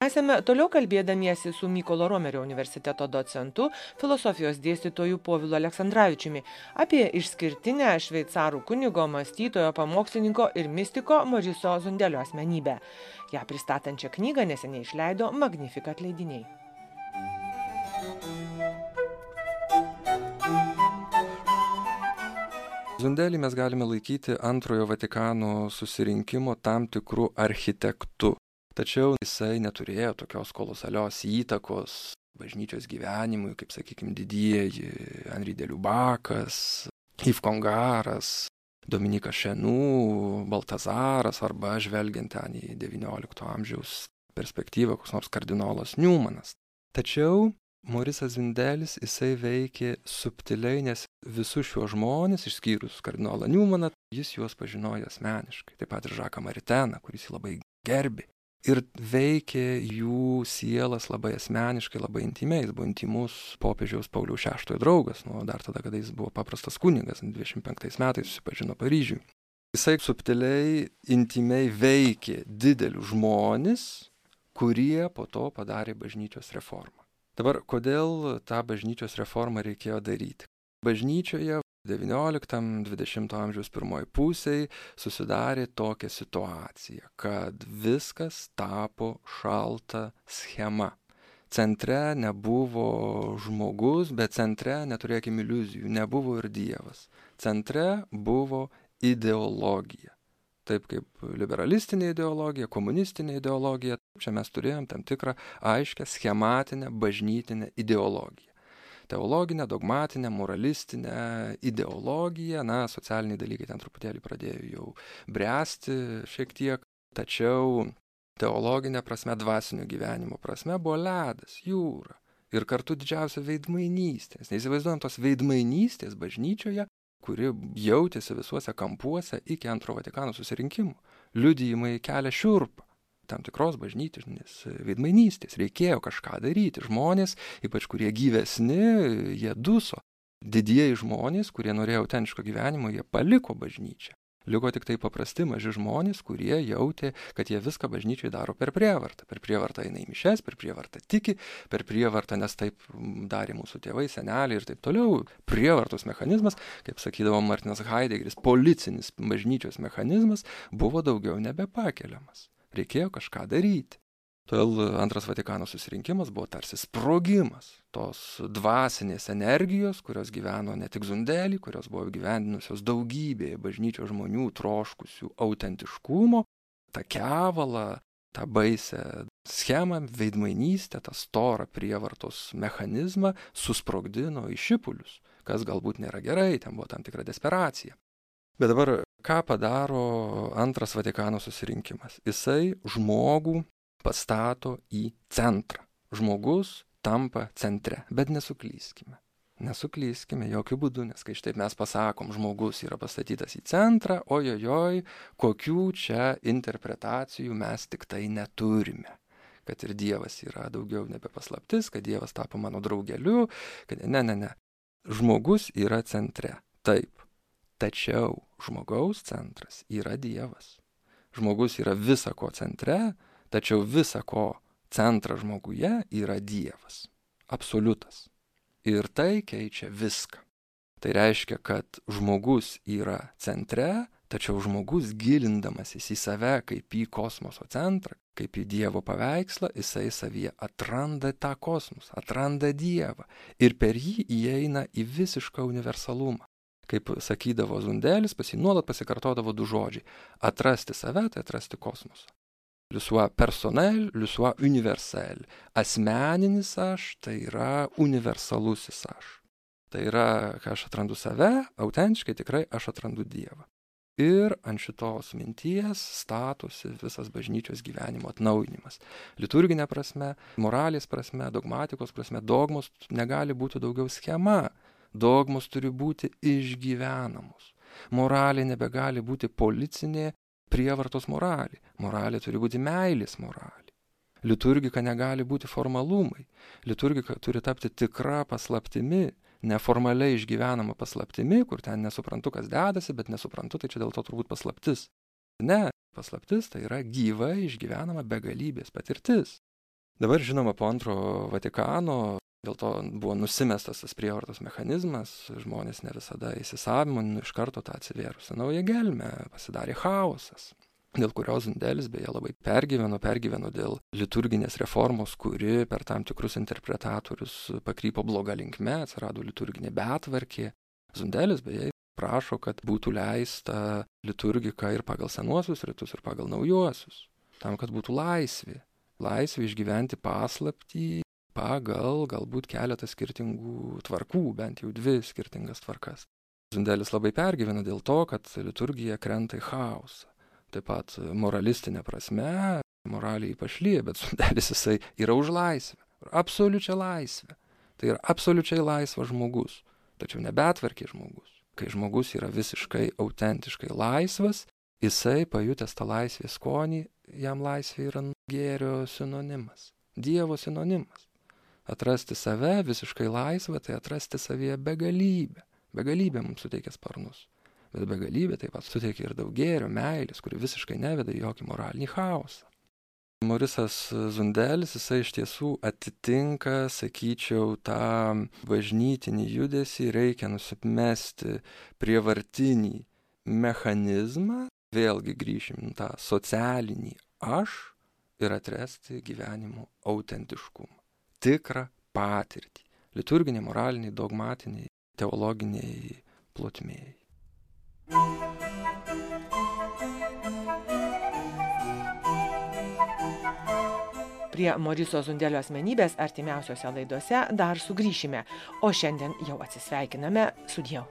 Esame toliau kalbėdamiesi su Mykolo Romerio universiteto docentu, filosofijos dėstytoju Povilu Aleksandravičiumi apie išskirtinę šveicarų kunigo, mąstytojo, pamokslininko ir mistiko Moriso Zundelio asmenybę. Ja pristatančią knygą neseniai išleido Magnificat leidiniai. Zundelį mes galime laikyti antrojo Vatikano susirinkimo tam tikrų architektų. Tačiau jisai neturėjo tokios kolosalios įtakos bažnyčios gyvenimui, kaip, sakykime, didieji Henri de Lubakas, Yves Congaras, Dominikas Šenų, Baltazaras arba žvelgiant ten į XIX amžiaus perspektyvą, koks nors kardinolas Newmanas. Tačiau Morisas Zundelis jisai veikė subtiliai, nes visus šiuos žmonės, išskyrus kardinolą Newmaną, jis juos pažinojo asmeniškai. Taip pat ir Žaką Mariteną, kuris jį labai gerbė. Ir veikė jų sielas labai asmeniškai, labai intimiai. Jis buvo intimus popiežiaus Pauliaus VI draugas, dar tada, kada jis buvo paprastas kunigas, 25 metais susipažino Paryžiuje. Jisai subtiliai, intimiai veikė didelius žmones, kurie po to padarė bažnyčios reformą. Dabar, kodėl tą bažnyčios reformą reikėjo daryti? Bažnyčioje XIX-XX amžiaus pirmoji pusėje susidarė tokia situacija, kad viskas tapo šalta schema. Centre nebuvo žmogus, bet centre, neturėkime iliuzijų, nebuvo ir Dievas. Centre buvo ideologija. Taip kaip liberalistinė ideologija, komunistinė ideologija, čia mes turėjom tam tikrą aiškę schematinę bažnytinę ideologiją. Teologinę, dogmatinę, moralistinę ideologiją, socialiniai dalykai ten truputėlį pradėjo jau bręsti šiek tiek, tačiau teologinė prasme, dvasinio gyvenimo prasme buvo ledas, jūra ir kartu didžiausia veidmainystė. Neįsivaizduojam tos veidmainystės bažnyčioje, kuri jautėsi visuose kampuose iki antro Vatikano susirinkimo. Liudijimai kelia šiurpą. Tam tikros bažnytinės veidmainystės. Reikėjo kažką daryti. Žmonės, ypač kurie gyvesni, jie duso. Didieji žmonės, kurie norėjo autentiško gyvenimo, jie paliko bažnyčią. Liko tik tai paprasti maži žmonės, kurie jautė, kad jie viską bažnyčiai daro per prievartą. Per prievartą eina į mišes, per prievartą tiki, per prievartą, nes taip darė mūsų tėvai, seneliai ir taip toliau. Prievartos mechanizmas, kaip sakydavo Martinas Haidegeris, policinis bažnyčios mechanizmas buvo daugiau nebepakeliamas. Reikėjo kažką daryti. Todėl antras Vatikano susirinkimas buvo tarsi sprogimas tos dvasinės energijos, kurios gyveno ne tik Zundelį, kurios buvo gyvendinusios daugybėje bažnyčios žmonių troškusių autentiškumo, tą kevalą, tą baisę schemą, veidmainystę, tą storą prievartos mechanizmą susprogdino į šipulius, kas galbūt nėra gerai, ten buvo tam tikra desperacija. Bet dabar, ką padaro antras Vatikano susirinkimas? Jisai žmogų pastato į centrą. Žmogus tampa centre, bet nesuklyskime. Nesuklyskime jokių būdų, nes kai štai mes pasakom, žmogus yra pastatytas į centrą, ojojoj, kokių čia interpretacijų mes tik tai neturime. Kad ir Dievas yra daugiau nebe paslaptis, kad Dievas tapo mano draugeliu, kad ne. Žmogus yra centre, taip. Tačiau žmogaus centras yra Dievas. Žmogus yra visa ko centre, tačiau visa ko centras žmoguje yra Dievas. Absoliutas. Ir tai keičia viską. Tai reiškia, kad žmogus yra centre, tačiau žmogus gilindamasis į save kaip į kosmoso centrą, kaip į Dievo paveikslą, jisai savyje atranda tą kosmosą, atranda Dievą ir per jį įeina į visišką universalumą. Kaip sakydavo Zundelis, pas jį nuolat pasikartodavo du žodžiai. Atrasti save, tai atrasti kosmosą. Le soi personnel, le soi universel. Asmeninis aš, tai yra universalusis aš. Tai yra, kai aš atrandu save, autentiškai tikrai aš atrandu Dievą. Ir ant šitos minties statosi visas bažnyčios gyvenimo atnaujinimas. Liturginė prasme, moralės prasme, dogmatikos prasme, dogmos negali būti daugiau schema. Dogmos turi būti išgyvenamos. Moralė nebegali būti policinė prievartos moralė. Moralė turi būti meilės moralė. Liturgika negali būti formalumai. Liturgika turi tapti tikra paslaptimi, neformaliai išgyvenama paslaptimi, kur ten nesuprantu, kas dedasi, bet nesuprantu, tai čia dėl to turbūt paslaptis. Ne, paslaptis tai yra gyva išgyvenama begalybės patirtis. Dabar, žinoma, po antrojo Vatikano dėl to buvo nusimestas tas prievartos mechanizmas, žmonės ne visada įsisavino, iš karto tą atsivėrusią naują gelmę, pasidarė chaosas, dėl kurios Zundelis beje labai pergyveno dėl liturginės reformos, kuri per tam tikrus interpretatorius pakrypo bloga linkme, atsirado liturginė betvarkė. Zundelis beje prašo, kad būtų leista liturgika ir pagal senuosius ritus, ir pagal naujuosius, tam, kad būtų laisvė išgyventi paslaptį pagal galbūt keletą skirtingų tvarkų, bent jau 2 skirtingas tvarkas. Zundelis labai pergyvena dėl to, kad liturgija krenta į chaosą. Taip pat moralistinė prasme, moraliai pašlyja, bet Zundelis jisai yra už laisvę, absoliučią laisvę. Tai yra absoliučiai laisvas žmogus, tačiau ne betvarkė žmogus. Kai žmogus yra visiškai autentiškai laisvas, jisai pajutęs tą laisvės skonį, jam laisvė yra gėrio sinonimas, Dievo sinonimas. Atrasti save visiškai laisvą, tai atrasti savyje begalybę. Begalybė mums suteikia sparnus. Bet begalybė taip pat suteikia ir daug gėrio, meilės, kuri visiškai neveda į jokį moralinį chaosą. Morisas Zundelis, jisai iš tiesų atitinka, sakyčiau, tą bažnytinį judesį, reikia nusimesti prievartinį mechanizmą, vėlgi grįšim tą socialinį aš ir atrasti gyvenimo autentiškumą, tikrą patirtį, liturginiai, moraliniai, dogmatiniai, teologiniai plotmėjai. Prie Moriso Zundelio asmenybės artimiausiose laidose dar sugrįšime, o šiandien jau atsisveikiname, sudieu.